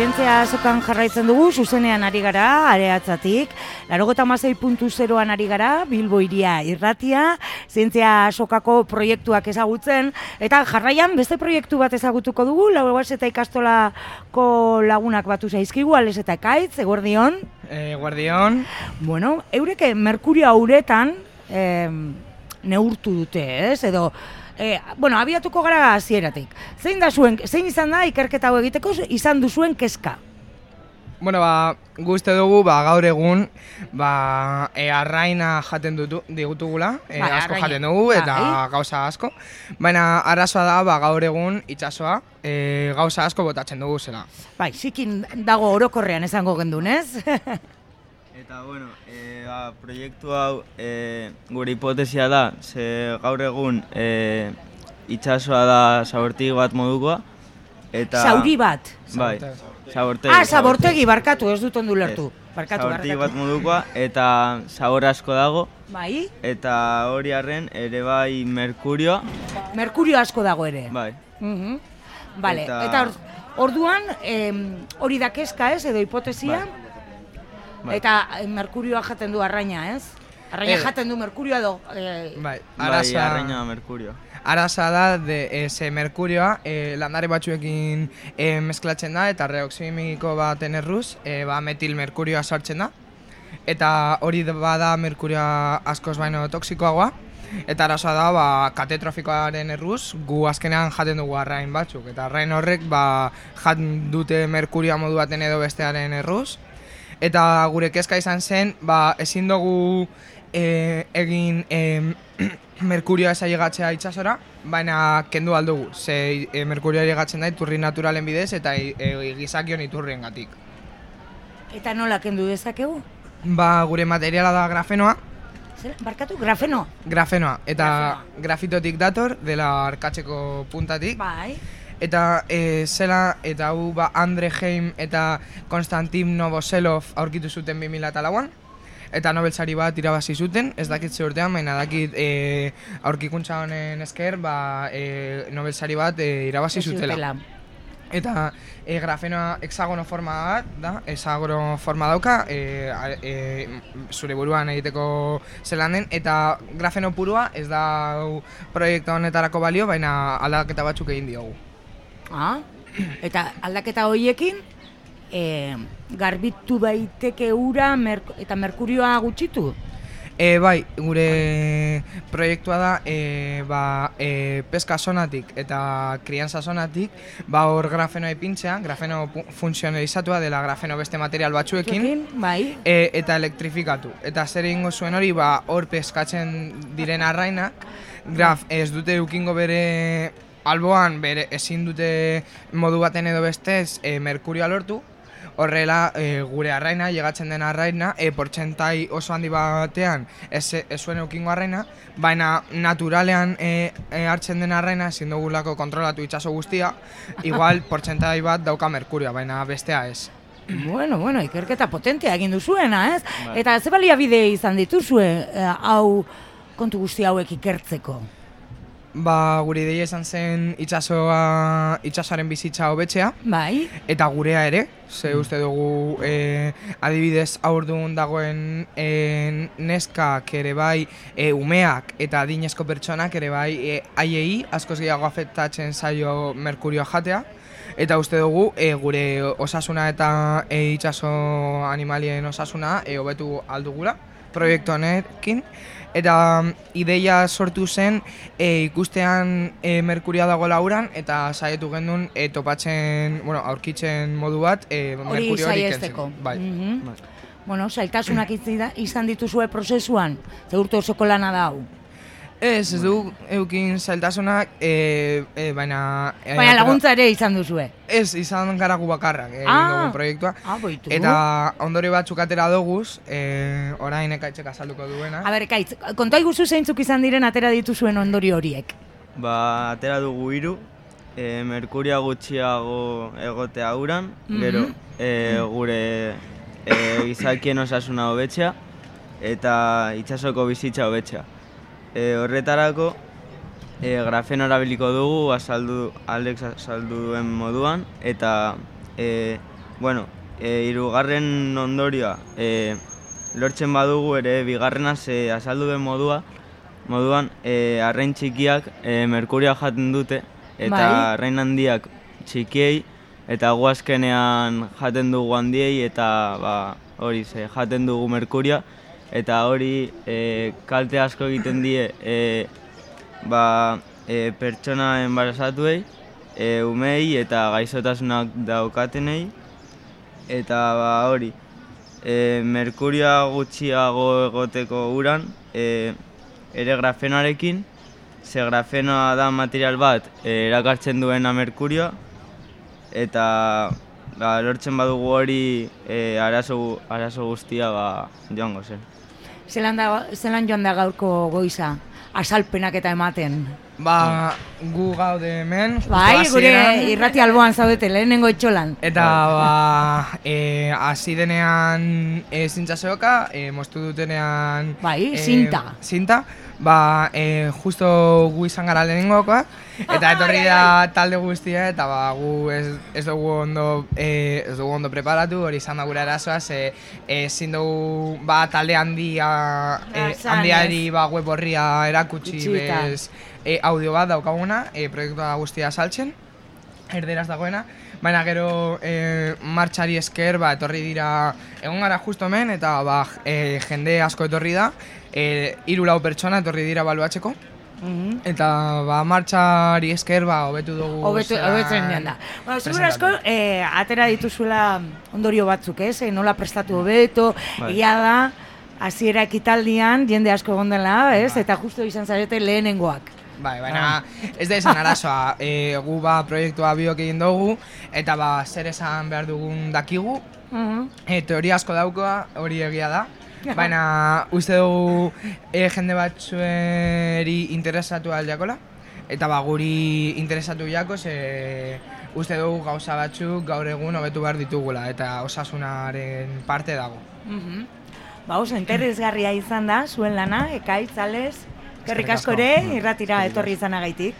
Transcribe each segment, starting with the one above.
zientzia azokan jarraitzen dugu, zuzenean ari gara, areatzatik, 96.0an ari gara, Bilbo Hiria irratia, zientzia azokako proiektuak ezagutzen, eta jarraian beste proiektu bat ezagutuko dugu, Lauruaz eta ikastolako lagunak batu zaizkigu, Ales eta Ekaitz, eguerdion. Eguerdion. Bueno, eurek Merkurio uretan neurtu dute, ez? Edo, abiatuko gara hasieratik. Zein izan da ikerketa hau egiteko izan duzuen kezka? Guzti dugu, gaur egun, arraina jaten digutugula, asko jaten dugu, eta gauza asko. Baina arazoa da, gaur egun itsasoa, gauza asko botatzen dugu zela. Bai, zikin dago orokorrean esango gendun, ez? Eta, proiektu hau gure hipotesia da, ze gaur egun itsasoa da zabortegi bat modukoa. Zauri bat? Bai, zabortegi. Zabortegi, barkatu, ez dut ondu lertu. Zabortegi bat modukoa, eta zabor asko dago. Bai? Eta hori arren, ere bai merkurioa. Merkurio asko dago ere? Bai. Bale, eta orduan, hori da kezka ez, edo hipotesia? Bai. Eta merkurioa jaten du arraina, ez? Arraina jaten du merkurioa edo? Bai, arraina merkurioa. Araza da, merkurioa landare batzuekin mezklatzen da, eta reoximiko baten erruz, metil merkurioa sartzen da. Eta hori bada merkurioa askoz baino toksikoagoa. Eta arazoa da, katetrofikoaren erruz, gu azkenean jaten dugu arrain batzuk. Eta arrain horrek jaten dute merkurioa modu baten edo bestearen erruz. Eta gure kezka izan zen, ezin dugu egin merkurioa ez ailegatzea itsasora, baina kendu aldugu. Ze merkurioa ailegatzen da iturri naturalen bidez eta gizakion iturriengatik. Eta nola kendu dezakegu? Gure materiala da grafenoa. Barkatu, grafeno? Grafenoa, eta grafitotik dator, dela arkatzeko puntatik. Bai. Eta zela, eta hau Andre Heim eta Konstantin Novoselov aurkitu zuten 2004an. Eta Nobel sari bat irabazi zuten, ez dakit ze urtean, baina dakit aurkikuntza honen esker Nobel sari bat irabazi zutela. Eta grafenoa hexagono forma bat da, hexagono forma dauka, zure buruan egiteko zelan den, eta grafeno purua ez da proiektu honetarako balio, baina aldaketa batzuk egin diogu. Eta aldaketa horiekin, garbitu daiteke ura eta merkurioa gutxitu? Bai, gure proiektua da peska zonatik eta krianza zonatik hor grafenoa ipintzea, grafeno funtzionalizatua dela grafeno beste material batzuekin eta elektrifikatu. Eta zer egingo zuen hori, hor peskatzen diren arrainak, ez dute eukingo bere alboan, ezin dute modu baten edo bestez merkurioa lortu. Horrela, gure arraina, llegatzen den arraina, portzentai oso handi batean ez zuen eukingo arraina, baina naturalean hartzen den arraina ezin dugulako kontrolatu itsaso guztia, igual portzentai bat dauka merkurioa, baina bestea ez. Bueno, ikerketa potentea egin duzuena, ez? Eta ze baliabide izan dituzue hau kontu guzti hauek ikertzeko? Gure ideia izan zen itsasoaren bizitza hobetzea. Bai. Eta gurea ere, ze uste dugu adibidez aurdun dagoen neskak ere bai, umeak eta adinezko pertsonak ere bai haiei askoz gehiago afektatzen zaio merkurioa jatea. Eta uste dugu gure osasuna eta itsaso animalien osasuna hobetu aldugula proiektu honekin. Eta ideia sortu zen ikustean merkurioa dagoela uran eta saietu gendun topatzen, aurkitzen modu bat merkurio hori kentzen. Bai. Zailtasunak izan dituzue prozesuan, ze urte osoko lana da hau? Ez du eukin zailtasunak, baina... Baina laguntza ere izan duzue? Ez, izan gara gu bakarrak egin dugu proiektua. Eta ondori batzuk atera doguz, orain Ekaitzek azalduko duena. Ekaitz, konta iguzu zeintzuk izan diren atera dituzuen ondori horiek? Atera dugu 3, merkuria gutxiago egotea uran, gero gure gizakien osasuna hobetzea eta itsasoko bizitza hobetzea. Horretarako grafeno erabiliko dugu, Alex azaldu duen moduan, eta bueno, hirugarren ondorioa, lortzen badugu ere bigarrenaz azaldu den moduan arrain txikiak merkuria jaten dute, eta arrain handiak txikiei, eta gu azkenean jaten dugu handiei, eta hori jaten dugu merkuria, eta hori kalte asko egiten die pertsona enbarazatuei, umei eta gaixotasunak daukatenei, eta hori, merkuria gutxiago egoteko uran, ere grafenoarekin, ze grafenoa da material bat erakartzen duena merkurioa, eta lortzen badugu hori arazo guztia joango zen. Zelan joan da gaurko goiza, azalpenak eta ematen? Gu gaude hemen, bai, gure irrati alboan zaudete, lehenengo etxolan. Eta hasi denean zintzaseoka, moztu dutenean... Bai, zinta. Zinta, justo gu izan gara lehenengokoak, eta etorri da talde guztia, eta gu ez dugu ondo preparatu, hori izan da gure arazoa, ezin dugu talde handiari web horria erakutsi bez audio bat daukaguna, proiektua guztia saltzen, erderaz dagoena, baina gero martxari esker etorri dira, egon gara justo hemen, eta jende asko etorri da, 3-4 pertsona etorri dira baluatzeko, eta martxari esker hobetu dugu. Hobetzen joan da. Zigur asko, atera dituzuela ondorio batzuk, nola prestatu hobeto, egia da, hasiera ekitaldian, jende asko egon dela, eta justo izan zarete lehenengoak. Baina ez da izan arazoa, gu proiektua biok egin dugu, eta zer esan behar dugun dakigu, teoria asko daukoa, hori egia da, baina uste dugu jende batzueri interesatu aldiakola, eta guri interesatu jako, uste dugu gauza batzuk gaur egun hobetu behar ditugula, eta osasunaren parte dago. Oso interesgarria izan da, zuen lana, Ekaitz, Ales, eskerrik asko ere, irratira etorri izanagaitik.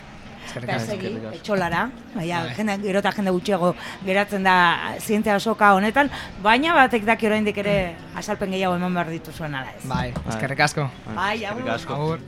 Eta segi, etxolara, gero eta jende gutxiago geratzen da zientzia asoka honetan, baina batek daki oraindik ere azalpen gehiago eman behar dituzuen ala ez. Eskerrik asko. Bai, agur.